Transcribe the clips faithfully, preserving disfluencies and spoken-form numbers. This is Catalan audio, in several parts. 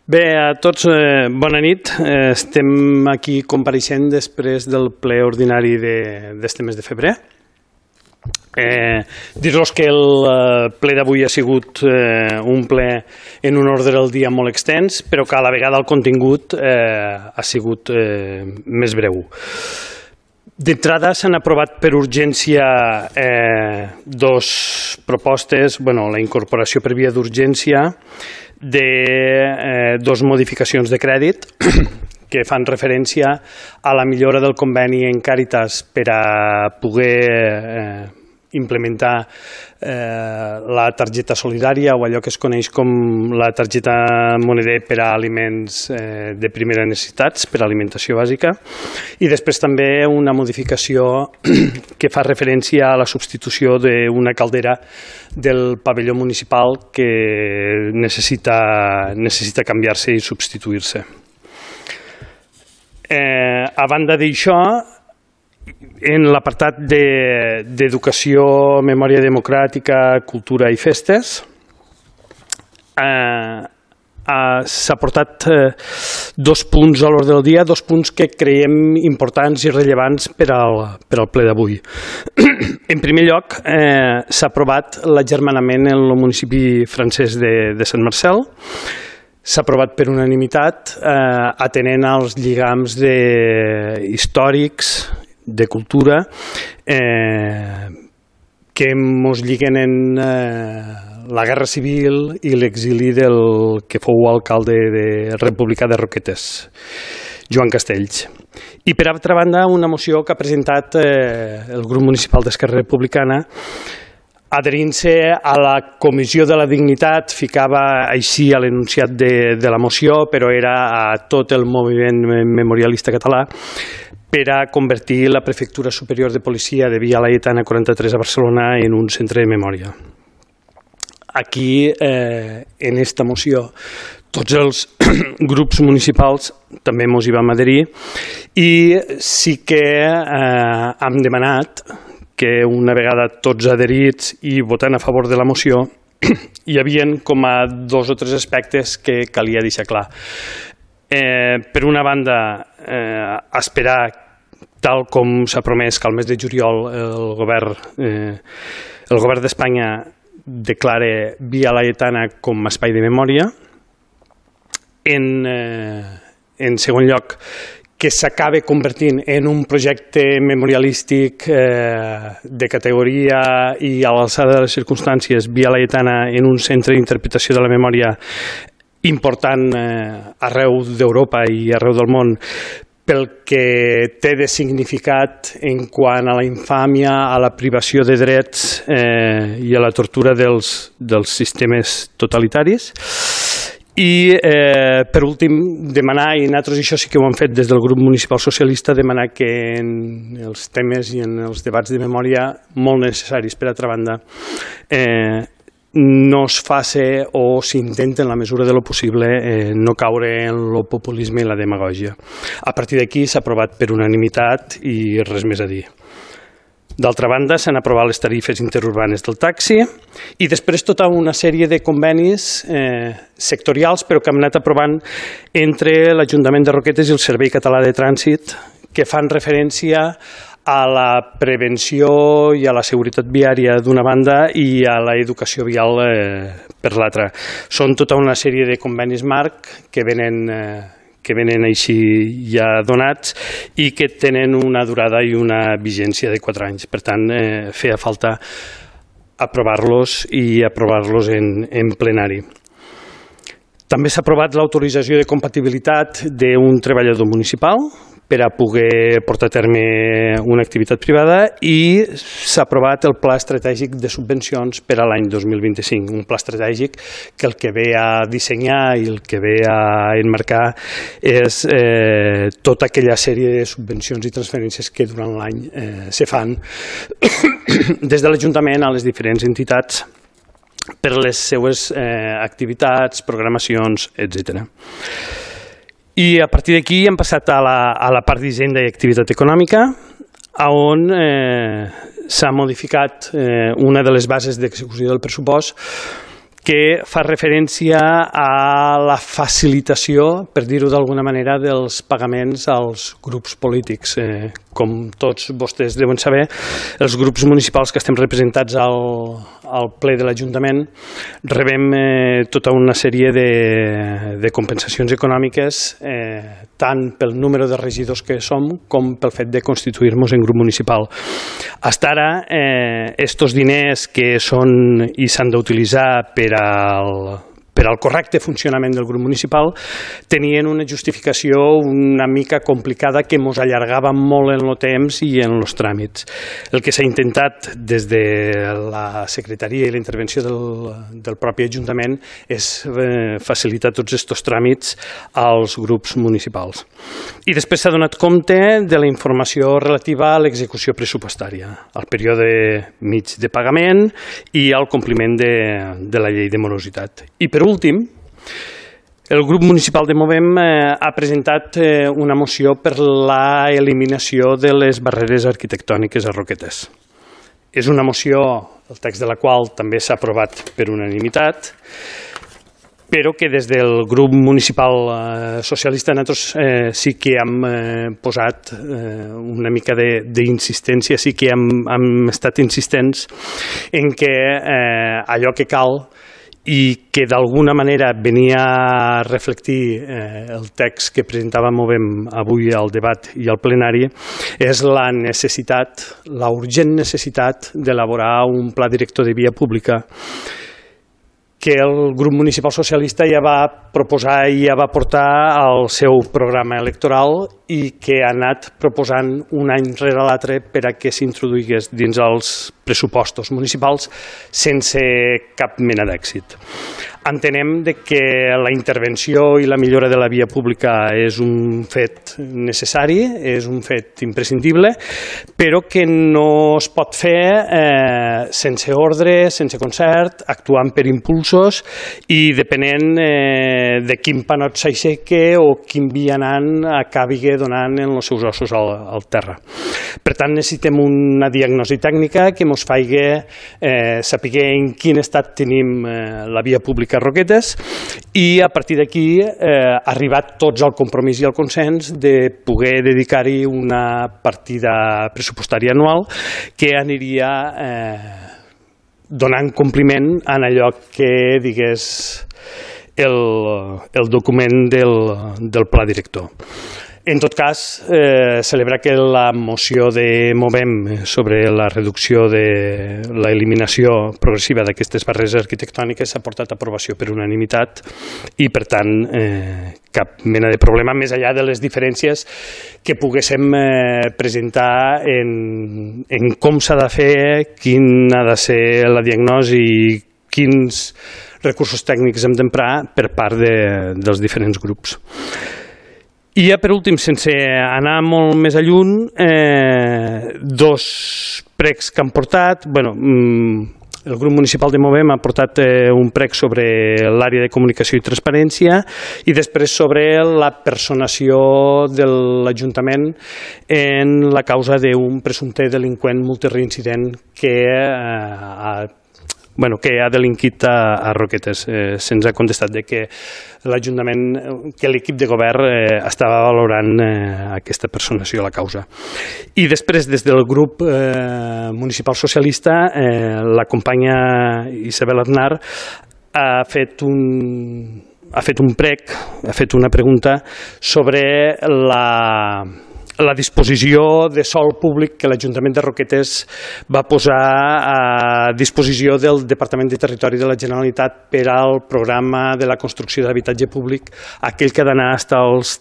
Bé, a tots, eh, bona nit. Eh, estem aquí compareixent després del ple ordinari d'este de, mes de febrer. Eh, Dir-los que el eh, ple d'avui ha sigut eh, un ple en un ordre del dia molt extens, però que a la vegada el contingut eh, ha sigut eh, més breu. D'entrada s'han aprovat per urgència eh, dos propostes, bueno, la incorporació per via d'urgència de eh, dos modificacions de crèdit que fan referència a la millora del conveni en Càritas per a poder eh, implementar eh, la targeta solidària o allò que es coneix com la targeta moneder per a aliments eh, de primera necessitats, per a alimentació bàsica, i després també una modificació que fa referència a la substitució d'una caldera del pavelló municipal que necessita, necessita canviar-se i substituir-se. Eh, a banda d'això, en l'apartat d'educació, memòria democràtica, cultura i festes, eh, s'ha portat eh, dos punts a l'ordre del dia, dos punts que creiem importants i rellevants per al, per al ple d'avui. En primer lloc, eh, s'ha aprovat l'agermanament en el municipi francès de, de Sant Marcel. S'ha aprovat per unanimitat, eh, atenent als lligams de, històrics, de cultura, eh, que ens lliguen en eh, la Guerra Civil i l'exili del que fou alcalde de República de Roquetes, Joan Castells. I per altra banda, una moció que ha presentat eh, el grup municipal d'Esquerra Republicana, adherint-se a la Comissió de la Dignitat, ficava així a l'enunciat de, de la moció, però era a tot el moviment memorialista català, per a convertir la Prefectura Superior de Policia de Via Laietana quaranta-tres a Barcelona en un centre de memòria. Aquí, eh, en esta moció, tots els grups municipals també ens hi vam adherir i sí que eh, hem demanat que una vegada tots adherits i votant a favor de la moció hi havia com a dos o tres aspectes que calia deixar clar. Eh, per una banda, eh, esperar, tal com s'ha promès, que al mes de juliol el govern, eh, el govern d'Espanya declare Via Laietana com a espai de memòria. En, eh, en segon lloc, que s'acabe convertint en un projecte memorialístic eh, de categoria i a l'alçada de les circumstàncies, Via Laietana en un centre d'interpretació de la memòria important eh, arreu d'Europa i arreu del món, pel que té de significat en quant a la infàmia, a la privació de drets eh, i a la tortura dels, dels sistemes totalitaris. I, eh, per últim, demanar, i nosaltres això sí que ho hem fet des del grup municipal socialista, demanar que en els temes i en els debats de memòria molt necessaris, per altra banda, eh, no es faci o s'intenta en la mesura de lo possible eh, no caure en el populisme i la demagògia. A partir d'aquí s'ha aprovat per unanimitat i res més a dir. D'altra banda, s'han aprovat les tarifes interurbanes del taxi i després tota una sèrie de convenis eh, sectorials, però que hem anat aprovant entre l'Ajuntament de Roquetes i el Servei Català de Trànsit, que fan referència a la prevenció i a la seguretat viària d'una banda i a l'educació vial eh, per l'altra. Són tota una sèrie de convenis marc que venen, eh, que venen així ja donats i que tenen una durada i una vigència de quatre anys. Per tant, eh, feia falta aprovar-los i aprovar-los en, en plenari. També s'ha aprovat l'autorització de compatibilitat d'un treballador municipal per a poder portar a terme una activitat privada i s'ha aprovat el Pla Estratègic de Subvencions per a l'any dos mil vint-i-cinc, un pla estratègic que el que ve a dissenyar i el que ve a enmarcar és eh, tota aquella sèrie de subvencions i transferències que durant l'any eh, se fan des de l'Ajuntament a les diferents entitats per les seues eh, activitats, programacions, etcètera. I a partir d'aquí hem passat a la, a la part d'Hisenda i Activitat Econòmica, on eh, s'ha modificat eh, una de les bases d'execució del pressupost que fa referència a la facilitació, per dir-ho d'alguna manera, dels pagaments als grups polítics. Eh, com tots vostès deuen saber, els grups municipals que estem representats al, al ple de l'Ajuntament rebem eh, tota una sèrie de, de compensacions econòmiques, eh, tant pel número de regidors que som com pel fet de constituir-nos en grup municipal. Fins ara, eh, estos diners que són i s'han d'utilitzar per al per al correcte funcionament del grup municipal, tenien una justificació una mica complicada que ens allargava molt en el temps i en els tràmits. El que s'ha intentat des de la secretaria i la intervenció del, del propi Ajuntament és eh, facilitar tots aquests tràmits als grups municipals. I després s'ha donat compte de la informació relativa a l'execució pressupostària, al període mig de pagament i al compliment de, de la llei de morositat. I per últim, el grup municipal de Movem eh, ha presentat eh, una moció per la eliminació de les barreres arquitectòniques a Roquetes. És una moció, el text de la qual també s'ha aprovat per unanimitat, però que des del grup municipal eh, socialista nosaltres eh, sí que hem eh, posat eh, una mica d'insistència, sí que hem, hem estat insistents en que eh, allò que cal i que d'alguna manera venia a reflectir eh, el text que presentava Movem avui al debat i al plenari, és la necessitat, la urgent necessitat d'elaborar un pla director de via pública que el grup municipal socialista ja va proposar i ja va portar al seu programa electoral i que ha anat proposant un any rere l'altre per a que s'introduïs dins els pressupostos municipals sense cap mena d'èxit. Entenem que la intervenció i la millora de la via pública és un fet necessari, és un fet imprescindible, però que no es pot fer eh, sense ordre, sense concert, actuant per impulsos i depenent eh, de quin panot s'aixeque o quin vianant acabi donant en els seus ossos al, al terra. Per tant, necessitem una diagnosi tècnica que ens faci eh, saber en quin estat tenim eh, la via pública a Roquetes i a partir d'aquí eh, arribat tots al compromís i al consens de poder dedicar-hi una partida pressupostària anual que aniria eh, donant compliment a allò que digués el, el document del, del pla director. En tot cas, eh, celebrar que la moció de Movem sobre la reducció de l'eliminació progressiva d'aquestes barreres arquitectòniques s'ha portat a aprovació per unanimitat i, per tant, eh, cap mena de problema, més enllà de les diferències que poguéssim eh, presentar en, en com s'ha de fer, quina ha de ser la diagnosi i quins recursos tècnics hem d'emprar per part de, dels diferents grups. I ja per últim, sense anar molt més lluny, eh, dos pregs que han portat. Bueno, el grup municipal de Movem ha portat eh, un prec sobre l'àrea de comunicació i transparència i després sobre la personació de l'Ajuntament en la causa d'un presumpte delinqüent multireincident que eh, ha Bueno, que ha delinquit a, a Roquetes. Eh, Se'ns ha contestat de que l'Ajuntament, que l'equip de govern eh, estava valorant eh, aquesta personació a la causa. I després, des del grup eh, municipal socialista, eh, la companya Isabel Aznar ha fet un... ha fet un prec, ha fet una pregunta sobre la... la disposició de sòl públic que l'Ajuntament de Roquetes va posar a disposició del Departament de Territori de la Generalitat per al programa de la construcció d'habitatge públic, aquell que ha d'anar fins als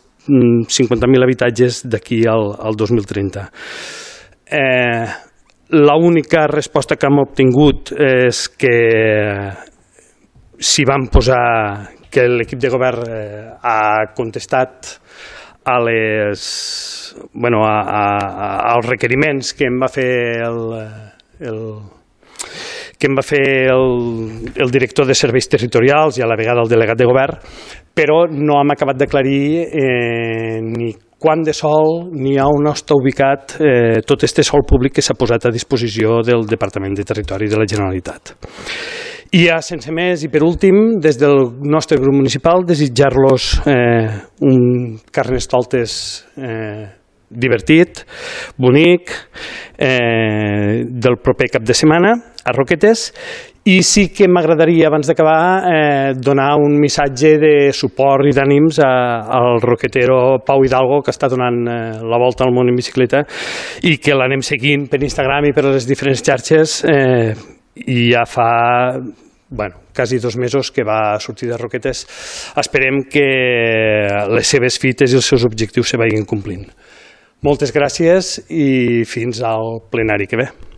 cinquanta mil habitatges d'aquí al, al dos mil trenta. Eh, L'única resposta que hem obtingut és que s'hi van posar, que l'equip de govern eh, ha contestat a les, bueno, a, a, als requeriments que em va fer el, el, que em va fer el, el director de serveis territorials i a la vegada el delegat de govern, però no hem acabat d'aclarir eh, ni quant de sol n'hi ha, on està ubicat eh, tot este sòl públic que s'ha posat a disposició del Departament de Territori de la Generalitat. I ja sense més, i per últim, des del nostre grup municipal, desitjar-los eh, un Carnestoltes eh, divertit, bonic, eh, del proper cap de setmana a Roquetes. I sí que m'agradaria, abans d'acabar, eh, donar un missatge de suport i d'ànims al roquetero Pau Hidalgo, que està donant eh, la volta al món en bicicleta i que l'anem seguint per Instagram i per les diferents xarxes, eh, i ja fa bueno, quasi dos mesos que va sortir de Roquetes. Esperem que les seves fites i els seus objectius se vagin complint. Moltes gràcies i fins al plenari que ve.